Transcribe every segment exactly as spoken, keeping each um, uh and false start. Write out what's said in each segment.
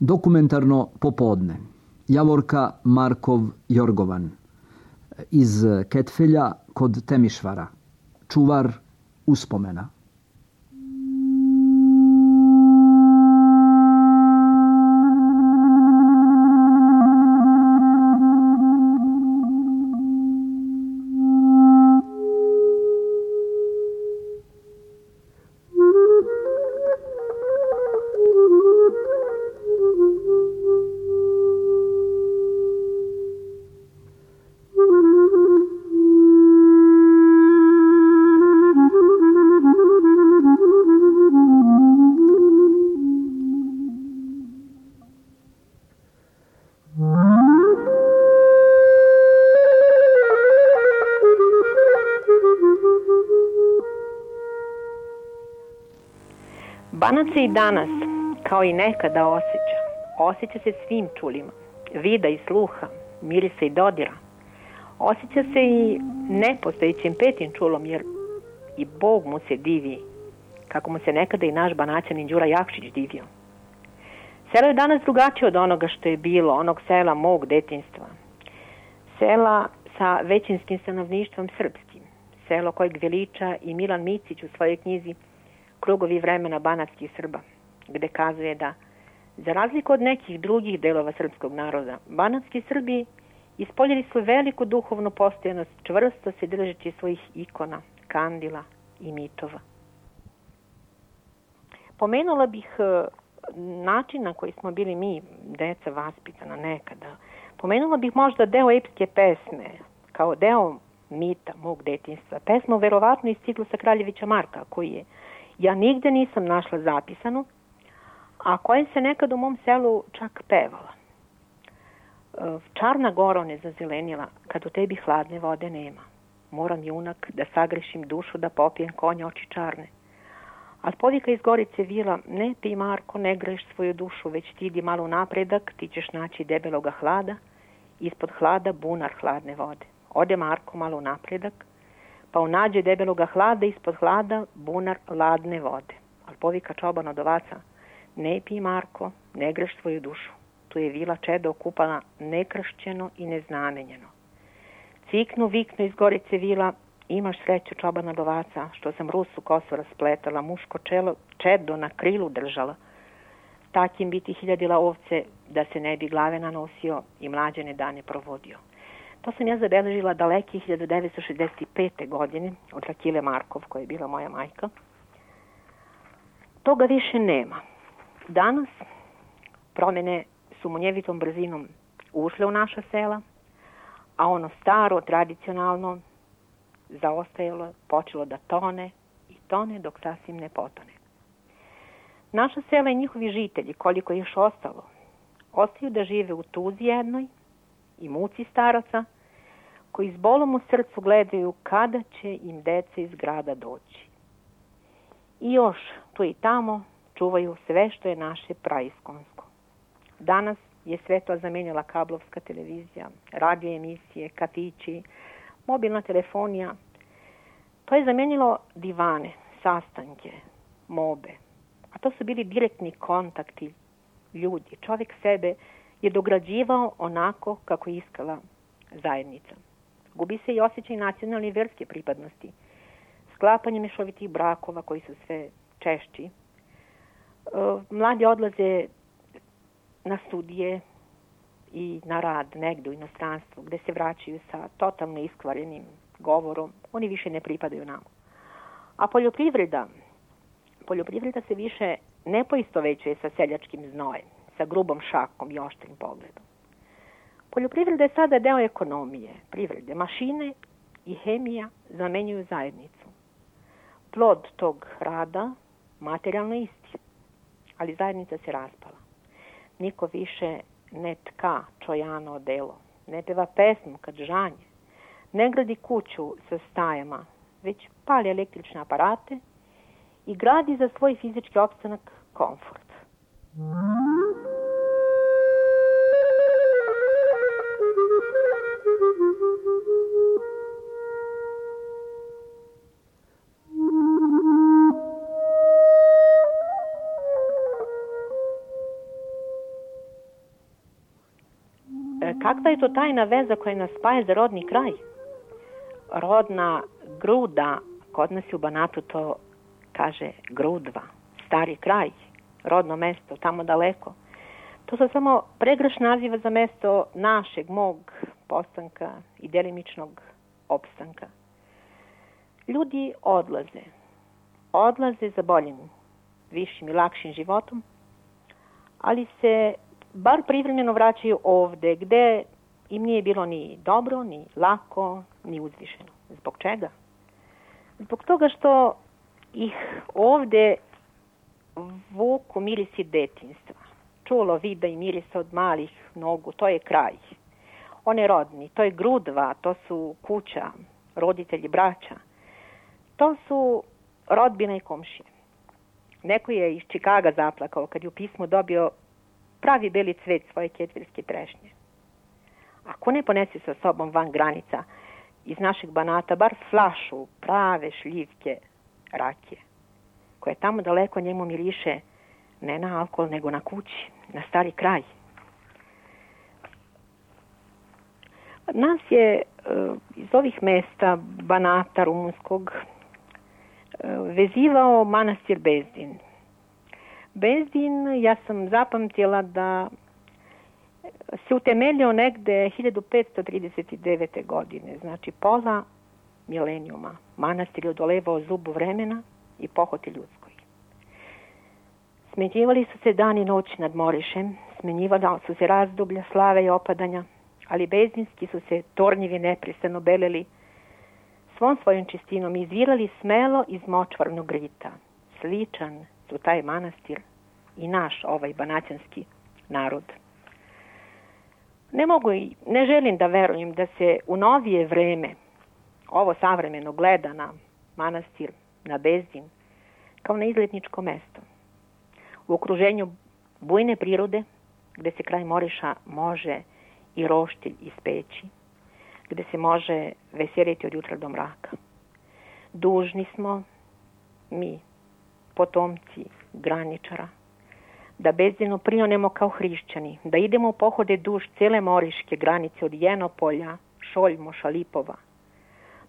Dokumentarno popodne. Javorka Markov Jorgovan. Iz Ketfelja kod Temišvara. Čuvar uspomena. Banac se i danas, kao i nekada, osjeća. Osjeća se svim čulima, vida i sluha, mirisa i dodira. Osjeća se i nepostojećim petim čulom, jer i Bog mu se divi, kako mu se nekada i naš Banaćanin Đura Jakšić divio. Selo je danas drugačije od onoga što je bilo, onog sela mog detinjstva. Sela sa većinskim stanovništvom srpskim. Selo kojeg veliča i Milan Micić u svojoj knjizi Krugovi vremena banatskih Srba, gde kazuje da, za razliku od nekih drugih delova srpskog naroda, banatski Srbi ispoljili su veliku duhovnu postojanost, čvrsto se držeći svojih ikona, kandila i mitova. Pomenula bih način na koji smo bili mi, deca, vaspitana nekada. Pomenula bih možda deo epske pesme, kao deo mita mog detinjstva. Pesmu verovatno iz ciklusa Kraljevića Marka, koji je ja nigde nisam našla zapisanu, a koja se nekad u mom selu čak pevala. Čarna goro ne zazelenila, kad u tebi hladne vode nema. Moram, junak, da sagrešim dušu, da popijem konja oči čarne. Al povika iz Gorice vila, ne pi Marko, ne greš svoju dušu, već ti idi malo napredak, ti ćeš naći debeloga hlada, ispod hlada bunar hladne vode. Ode Marko malo napredak, pa unađe debeloga hlada, ispod hlada bunar ladne vode. Al povika čoban od ovaca, ne pi Marko, ne greš svoju dušu, tu je vila čedo okupana nekršćeno i neznamenjeno. Ciknu, viknu iz Gorice vila, imaš sreću čoban od ovaca, što sam rusu kosu raspletala, muško čelo, čedo na krilu držala. Takim bi ti hiljadila ovce, da se ne bi glave nanosio i mlađene dane provodio. To sam ja zabeležila daleke hiljadu devetsto šezdeset pete. godine od Rakile Markov, koja je bila moja majka. Toga više nema. Danas promene su munjevitom brzinom ušle u naša sela, a ono staro, tradicionalno, zaostajalo, počelo da tone i tone dok sasvim ne potone. Naša sela i njihovi žitelji, koliko je još ostalo, ostaju da žive u tuzi jednoj i muci staraca, koji s bolom u srcu gledaju kada će im deca iz grada doći. I još tu i tamo čuvaju sve što je naše praiskonsko. Danas je sve to zamenila kablovska televizija, radio emisije, kafići, mobilna telefonija. To je zamenilo divane, sastanke, mobe. A to su bili direktni kontakti ljudi. Čovjek sebe je dograđivao onako kako je iskala zajednica. Gubi se i osjećaj nacionalne i verske pripadnosti. Sklapanje mešovitih brakova koji su sve češći. Mladi odlaze na studije i na rad negde u inostranstvu, gde se vraćaju sa totalno iskvarenim govorom. Oni više ne pripadaju nama. A poljoprivreda, poljoprivreda se više ne poistovećuje sa seljačkim znojem, sa grubom šakom i oštrim pogledom. Poljoprivreda je sada deo ekonomije, privrede. Mašine i hemija zamenjuju zajednicu. Plod tog rada materijalno isti, ali zajednica se raspala. Niko više ne tka čojano odelo, ne peva pesmu kad žanje, ne gradi kuću sa stajama, već pali električne aparate i gradi za svoj fizički opstanak komfort. Kakva je to tajna veza koja nas spaja za rodni kraj? Rodna gruda, kod nas u Banatu to kaže Grudva, stari kraj, rodno mesto, tamo daleko. To su samo pregrš naziva za mesto našeg, mog postanka i delimičnog opstanka. Ljudi odlaze. Odlaze za boljim, višim i lakšim životom, ali se bar privremeno vraćaju ovde, gde im nije bilo ni dobro, ni lako, ni uzvišeno. Zbog čega? Zbog toga što ih ovde vuku mirisi detinjstva. Čulo, vida i mirisa od malih nogu, to je kraj. On je rodni, to je Grudva, to su kuća, roditelji, braća. To su rodbina i komšije. Neko je iz Čikaga zaplakao kad je u pismu dobio pravi beli cvet svoje ketvirske trešnje. Ako ne ponese sa sobom van granica iz našeg Banata, bar flašu prave šljivke rakije, koje tamo daleko njemu miriše ne na alkohol, nego na kući, na stari kraj. Nas je iz ovih mesta Banata rumunskog vezivao manastir Bezdin. Bezdin, ja sam zapamtila da se utemeljio negde hiljadu petsto trideset devete. godine, znači pola milenijuma. Manastir je odolevao zubu vremena i pohoti ljudskoj. Smenjivali su se dan i noć nad Morišem, smenjivali su se razdoblja slave i opadanja, ali bezdinski su se tornjevi neprestano beleli svom svojom čistinom i izvirali smelo iz močvarnog rita. Sličan su taj manastir i naš ovaj banaćanski narod. Ne mogu i ne želim da verujem da se u novije vreme ovo savremeno gleda na manastir, na Bezdin, kao na izletničko mesto. U okruženju bujne prirode, gde se kraj Moriša može i roštilj ispeći, gde se može veseliti od jutra do mraka. Dužni smo, mi, potomci graničara, da Bezdinu prionemo kao hrišćani, da idemo u pohode duž cele moriške granice od Jenopolja, Šoljmo, Šalipova,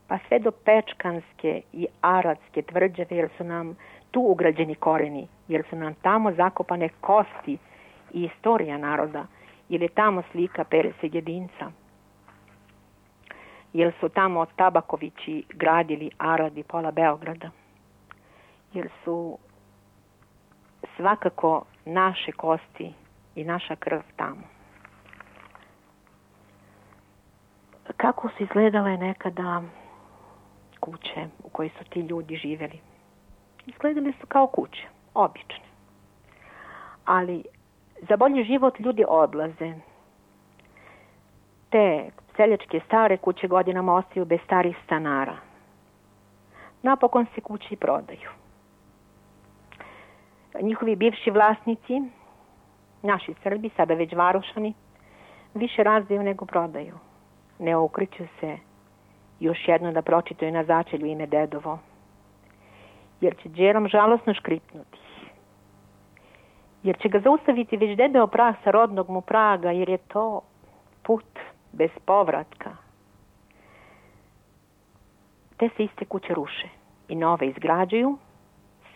pa sve do Pečkanske i Aradske tvrđave, jer su nam tu ugrađeni koreni, jer su nam tamo zakopane kosti i istorija naroda, jer je tamo slika Perese Jedinca, jer su tamo Tabakovići gradili Arad i pola Beograda, jer su svakako naše kosti i naša krv tamo. Kako su izgledale nekada kuće u kojoj su ti ljudi živjeli? Izgledali su kao kuće, obične. Ali za bolji život ljudi odlaze. Te seljačke stare kuće godinama ostaju bez starih stanara. Napokon se kuće prodaju. Njihovi bivši vlasnici, naši Srbi, sada već varošani, više razdaju nego prodaju. Ne okreću se još jedno da pročitaju na začelju ime dedovo, jer će džerom žalosno škripnuti. Jer će ga zaustaviti već debeo prah sa rodnog mu praga, jer je to put bez povratka. Te se iste kuće ruše i nove izgrađuju,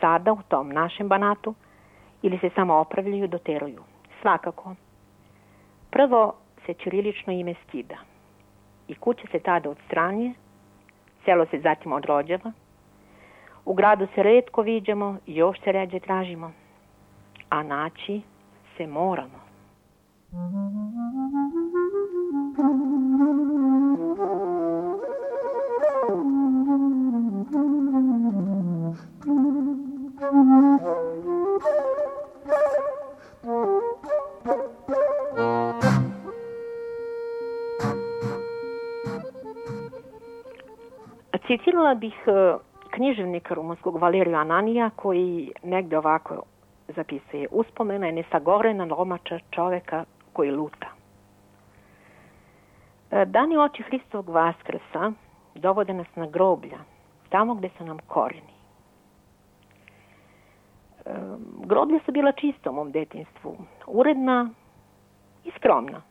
sada u tom našem Banatu, ili se samo opravljaju, doteruju. Svakako, prvo se ćirilično ime skida i kuća se tada odstranjuje, selo se zatim odrođava, u gradu se retko viđamo i još se ređe tražimo, a naći se moramo. Citirala bih književnika rumunskog Valerija Ananija, koji negde ovako zapisuje: uspomena je nesagorena lomača čoveka koji luta. Dani oči Hristovog Vaskrsa dovode nas na groblja, tamo gde su nam koreni. Groblja su bila čista u mom detinjstvu, uredna i skromna.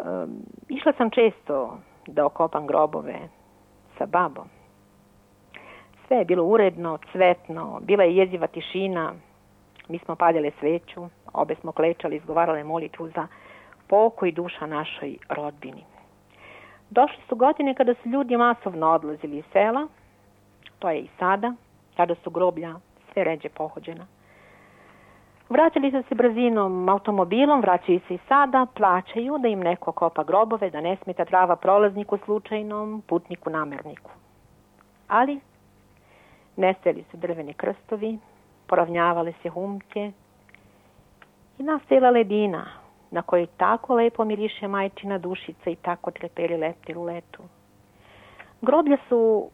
Um, išla sam često da okopam grobove sa babom. Sve je bilo uredno, cvetno, bila je jeziva tišina. Mi smo paljale sveću, obe smo klečali, izgovarale molitvu za pokoj duša našoj rodbini. Došli su godine kada su ljudi masovno odlazili iz sela, to je i sada, kada su groblja sve ređe pohođena. Vraćali su se brzinom automobilom, vraćaju se i sada, plaćaju da im neko kopa grobove, da ne smeta trava prolazniku slučajnom, putniku namerniku. Ali nestajali su drveni krstovi, poravnjavale se humke i nastajala ledina na kojoj tako lepo miriše majčina dušica i tako treperi leptir u letu. Groblja su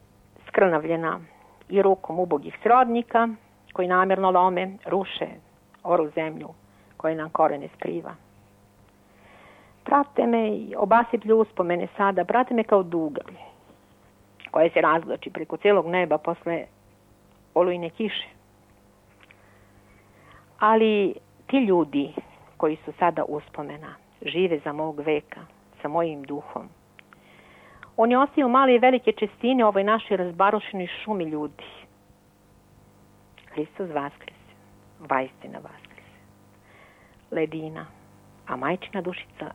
skrnavljena i rukom ubogih srodnika koji namjerno lome, ruše oru zemlju koja nam korene skriva. Prate me i obasiplju uspomene sada, prate me kao dugalj koja se razvlači preko celog neba posle olujne kiše. Ali ti ljudi koji su sada uspomena, žive za mog veka, sa mojim duhom. Oni ostaju male i velike čestine ovoj našoj razbarušenoj šumi ljudi. Hristos vaskrese, vaistina vaskrese. Ledina, a majčina dušica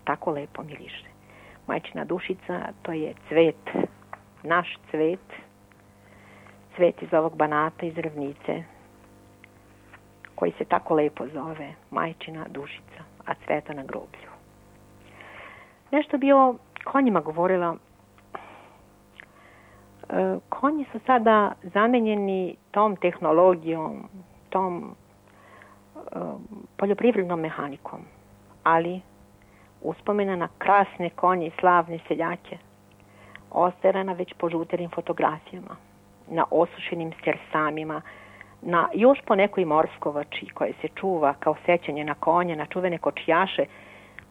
tako lepo miriše. Majčina dušica, to je cvet, naš cvet, cvet iz ovog Banata, iz ravnice, koji se tako lepo zove majčina dušica, a cveta na groblju. Nešto bi o konjima govorila. E, konji su sada zamenjeni tom tehnologijom, tom e, poljoprivrednom mehanikom, ali uspomena na krasne konje i slavne seljake ostajala već po žuterim fotografijama, na osušenim stersamima, na još po nekoj morskovači koje se čuva kao sećanje na konje, na čuvene kočijaše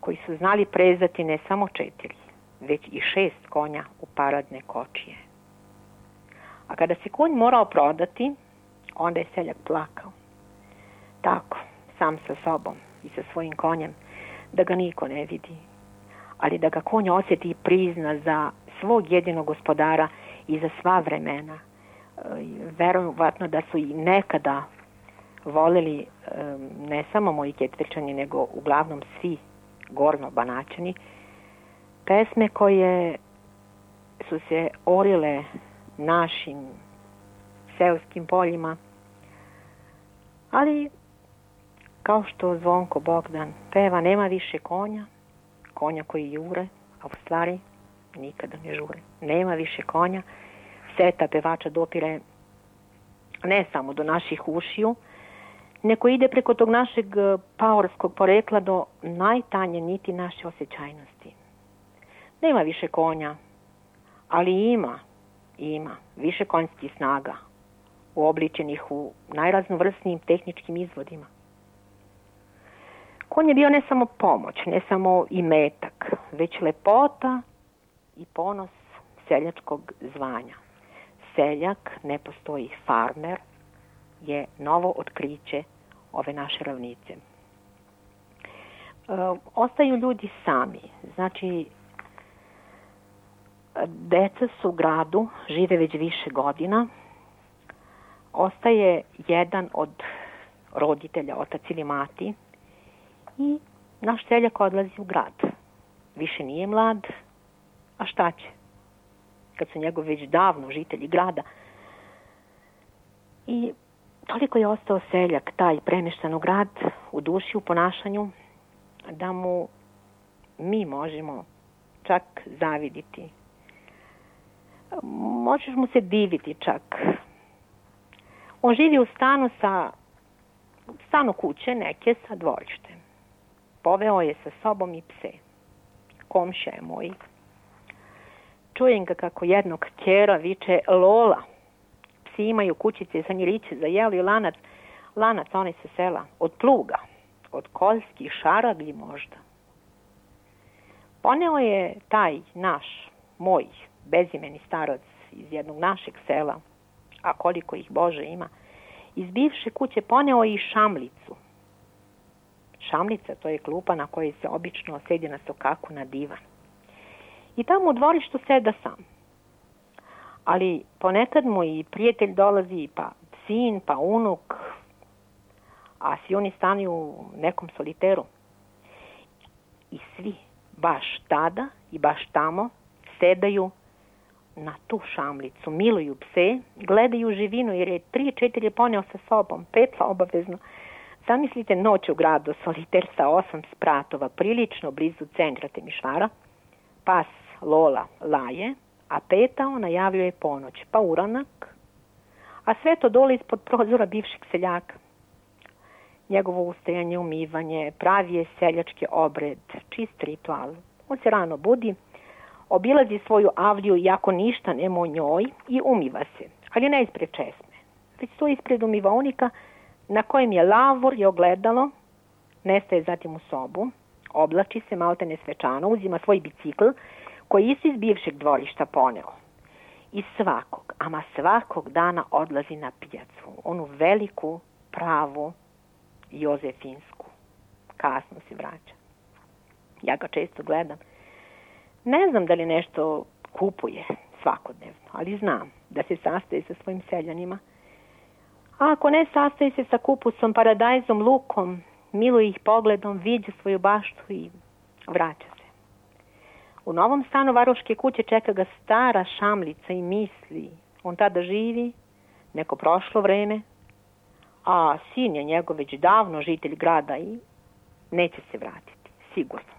koji su znali prezati ne samo četiri, već i šest konja u paradne kočije. A kada se konj morao prodati, onda je seljak plakao. Tako, sam sa sobom i sa svojim konjem, da ga niko ne vidi, ali da ga konj osjeti i prizna za svog jedinog gospodara i za sva vremena. Verovatno da su i nekada voleli ne samo moji Ketvičani, nego uglavnom svi gorno Banaćani, pesme koje su se orile našim seoskim poljima, ali kao što Zvonko Bogdan peva, nema više konja, konja koji jure, a u stvari nikada ne žure. Nema više konja. Seta pevača dopire ne samo do naših ušiju, nego ide preko tog našeg paorskog porekla do najtanje niti naše osjećajnosti. Nema više konja, ali ima, ima više konjskih snaga, uobličenih u najraznovrsnijim tehničkim izvodima. Konj je bio ne samo pomoć, ne samo imetak, već lepota i ponos seljačkog zvanja. Seljak, ne postoji farmer, je novo otkriće ove naše ravnice. E, ostaju ljudi sami, znači deca su u gradu, žive već više godina, ostaje jedan od roditelja, otac ili mati, i naš seljak odlazi u grad. Više nije mlad, a šta će? Kad su njegovi već davno žitelji grada. I toliko je ostao seljak, taj premještan u grad, u duši, u ponašanju, da mu mi možemo čak zaviditi. Možeš mu se diviti čak. On živi u stanu sa stanu kuće neke sa dvorištem. Poveo je sa sobom i pse. Komšija je moj. Čujem ga kako jednog kćera viče Lola. Psi imaju kućice za njiriće, za jelo i lanac. Lanac onaj sa sela. Od pluga. Od koljskih šaraglji možda. Poneo je taj naš, moj, bezimeni starac iz jednog našeg sela, a koliko ih Bože ima, iz bivše kuće poneo i šamlicu. Šamlica, to je klupa na kojoj se obično sedi na sokaku na divan. I tamo u dvorištu seda sam. Ali ponekad mu i prijatelj dolazi, pa sin, pa unuk, a svi oni stanu u nekom soliteru. I svi, baš tada i baš tamo, sedaju na tu šamlicu, miluju pse, gledaju živinu, jer je tri, četiri poneo sa sobom, petla obavezno. Zamislite noć u gradu, soliter sa osam spratova, prilično blizu centra Temišvara, pas Lola laje, a petao najavljuje ponoć, pa uranak, a sve to dole ispod prozora bivšeg seljaka. Njegovo ustajanje, umivanje, pravi je seljački obred, čist ritual. On se rano budi, obilazi svoju avliju iako ništa nema o njoj i umiva se, ali ne ispred česme, već stoji ispred umivaonika na kojem je lavor i ogledalo, nestaje zatim u sobu, oblači se maltene svečano, uzima svoj bicikl koji isto iz bivšeg dvorišta poneo. I svakog, ama svakog dana odlazi na pijacu, onu veliku, pravu, Jozefinsku. Kasno se vraća. Ja ga često gledam. Ne znam da li nešto kupuje svakodnevno, ali znam da se sastaje sa svojim seljanima. A ako ne, sastaje se sa kupusom, paradajzom, lukom, miluje ih pogledom, viđa svoju baštu i vraća se. U novom stanu varoške kuće čeka ga stara šamlica i misli. On tada živi, neko prošlo vreme, a sin je njegov već davno žitelj grada i neće se vratiti, sigurno.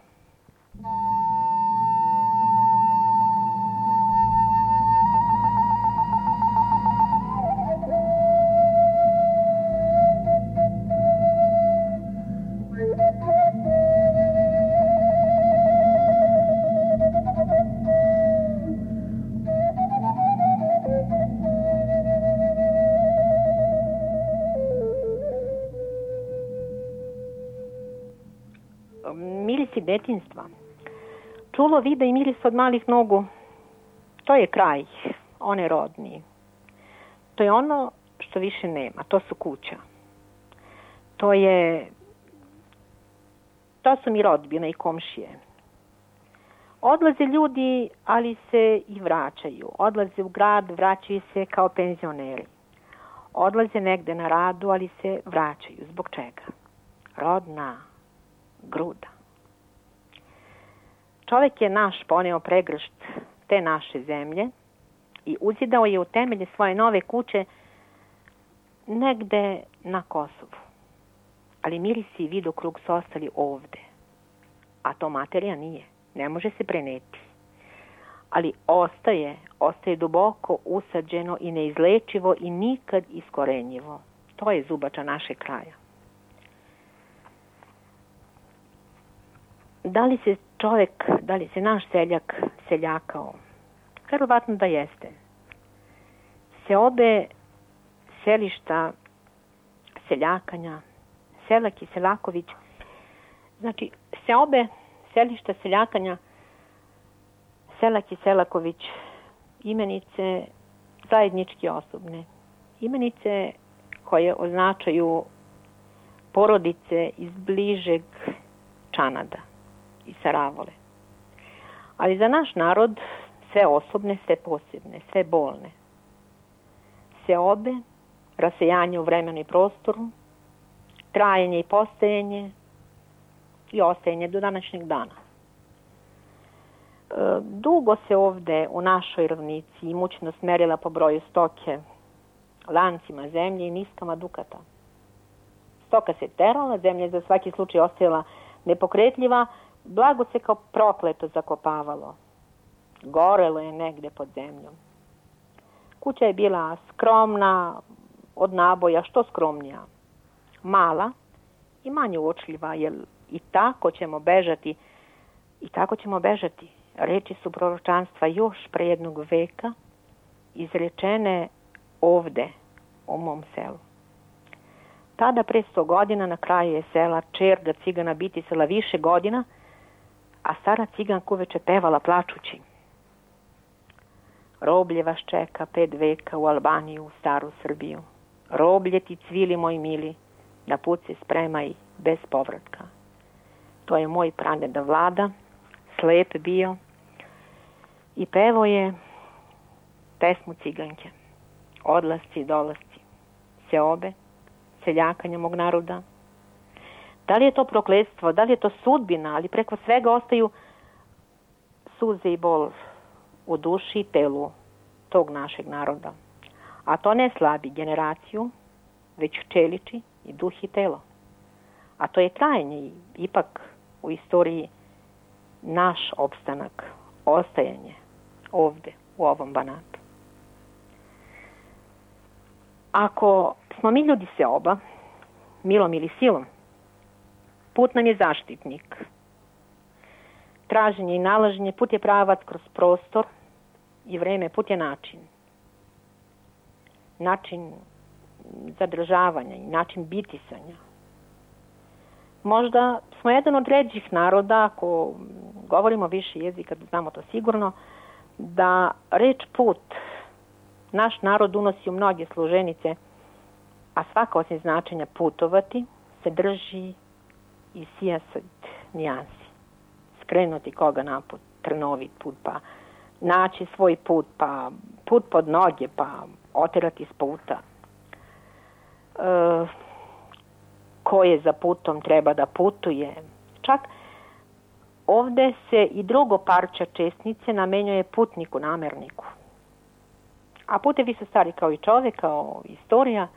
Mirisi detinjstva. Čulo, vida i miris od malih nogu. To je kraj, one rodni. To je ono što više nema. To su kuća. To je... To su mi rodbina i komšije. Odlaze ljudi, ali se i vraćaju. Odlaze u grad, vraćaju se kao penzioneri. Odlaze negde na radu, ali se vraćaju. Zbog čega? Rodna gruda. Čovjek je naš poneo pregršt te naše zemlje i uzidao je u temelje svoje nove kuće negde na Kosovu. Ali mirisi i vidokrug su ostali ovde. A to materija nije. Ne može se preneti. Ali ostaje, ostaje duboko usađeno i neizlečivo i nikad iskorenjivo. To je zubača našeg kraja. Da li se čovjek, da li se naš seljak seljakao? Verovatno da jeste. Seobe selišta seljakanja, Selak i Selaković, znači seobe selišta seljakanja, Selak i Selaković, imenice zajednički osobne, imenice koje označaju porodice iz bližeg Čanada i Saravole. Ali za naš narod sve osobne, sve posebne, sve bolne. Seobe, rasejanje u vremenu i prostoru, trajanje i postajanje i ostajanje do današnjeg dana. E, dugo se ovde u našoj ravnici imućnost merila po broju stoke, lancima zemlje i niskama dukata. Stoka se terala, zemlja je za svaki slučaj ostajala nepokretljiva, blago se kao prokleto zakopavalo. Gorelo je negde pod zemljom. Kuća je bila skromna, od naboja što skromnija. Mala i manje uočljiva, jer i tako ćemo bežati, i tako ćemo bežati. Reči su proročanstva još pre jednog veka, izrečene ovde, u mom selu. Tada, pre sto godina, na kraju je sela čerga cigana bitisala više godina, a stara ciganka uveče pevala plačući. Roblje vas čeka pet veka u Albaniju, u staru Srbiju. Roblje ti cvili, moj mili, na put se spremaj bez povratka. To je moj pradeda Vlada, slep bio i pevao je pesmu ciganke. Odlasci i dolasci, seobe, seljakanja mog naroda. Da li je to prokletstvo, da li je to sudbina, ali preko svega ostaju suze i bol u duši i telu tog našeg naroda. A to ne slabi generaciju, već čeliči i duh i telo. A to je trajanje i ipak u istoriji naš opstanak, ostajanje ovde, u ovom Banatu. Ako smo mi ljudi seoba, milom ili silom, put nam je zaštitnik. Traženje i nalaženje, put je pravac kroz prostor i vreme, put je način. Način zadržavanja i način bitisanja. Možda smo jedan od ređih naroda, ako govorimo više jezika, znamo to sigurno, da reč put naš narod unosi u mnoge složenice, a svaka osim značenja putovati se drži i sijaset nijansi. Skrenuti koga naput, trnovit put, pa naći svoj put, pa put pod noge, pa oterati s puta. E, ko je za putom treba da putuje. Čak ovde se i drugo parče česnice namenjuje putniku, namerniku. A putevi su stari kao i čovek, kao istorija.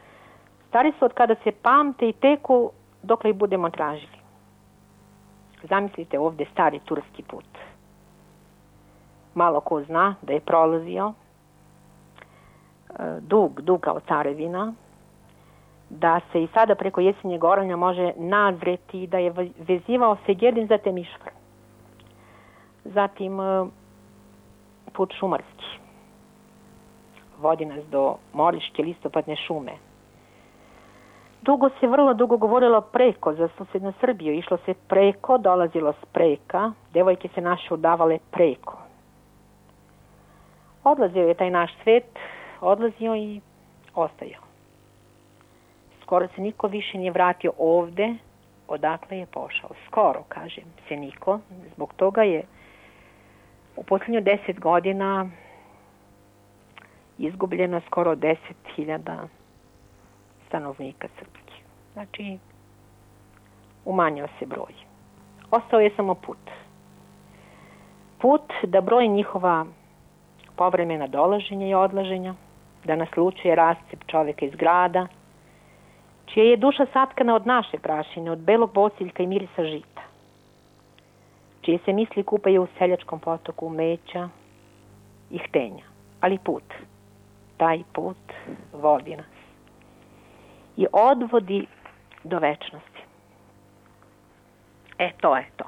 Stari su od kada se pamte i teku dokle ih budemo tražili. Zamislite ovde stari turski put. Malo ko zna da je prolazio dug, dug kao carevina, da se i sada preko Jesenjeg oranja može nazreti da je vezivao Segedin za Temišvar. Zatim put šumarski. Vodi nas do Moriške listopadne šume. Dugo se, vrlo dugo govorilo preko za susednu Srbiju. Išlo se preko, dolazilo s preka, devojke se naše udavale preko. Odlazio je taj naš svet, odlazio i ostajao. Skoro se niko više nije vratio ovde, odakle je pošao. Skoro, kažem, se niko. Zbog toga je u posljednju deset godina izgubljeno skoro deset hiljada stanovnika srpskih. Znači, umanjio se broj. Ostao je samo put. Put da broji njihova povremena dolaženja i odlaženja, da naslučuje rascep čoveka iz grada, čija je duša satkana od naše prašine, od belog bosiljka i mirisa žita, čije se misli kupaju u seljačkom potoku umeća i htenja. Ali put, taj put vodi nas i odvodi do večnosti. E, to je to.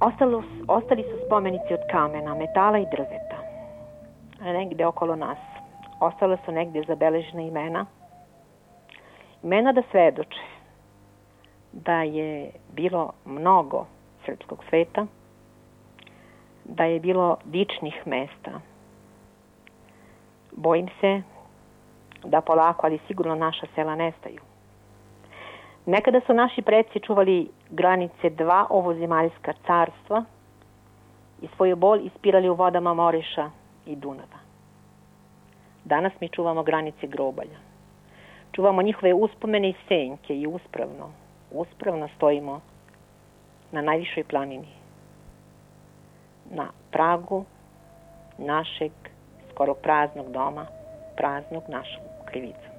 Ostalo, ostali su spomenici od kamena, metala i drveta. Negde okolo nas. Ostala su negde zabeležena imena. Imena da svedoče da je bilo mnogo srpskog sveta, da je bilo dičnih mesta. Bojim se da polako, ali sigurno naša sela nestaju. Nekada su naši preci čuvali granice dva ovozemaljska carstva i svoju bol ispirali u vodama Moriša i Dunava. Danas mi čuvamo granice grobalja. Čuvamo njihove uspomene i senke i uspravno, uspravno stojimo na najvišoj planini. na pragu našeg skoro praznog doma, praznog našom krivicom.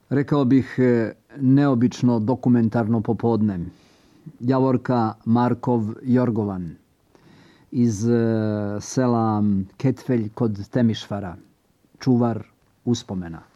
Rekao bih neobično dokumentarno popodne. Javorka Markov Jorgovan iz sela Ketfelj kod Temišvara, čuvar uspomena.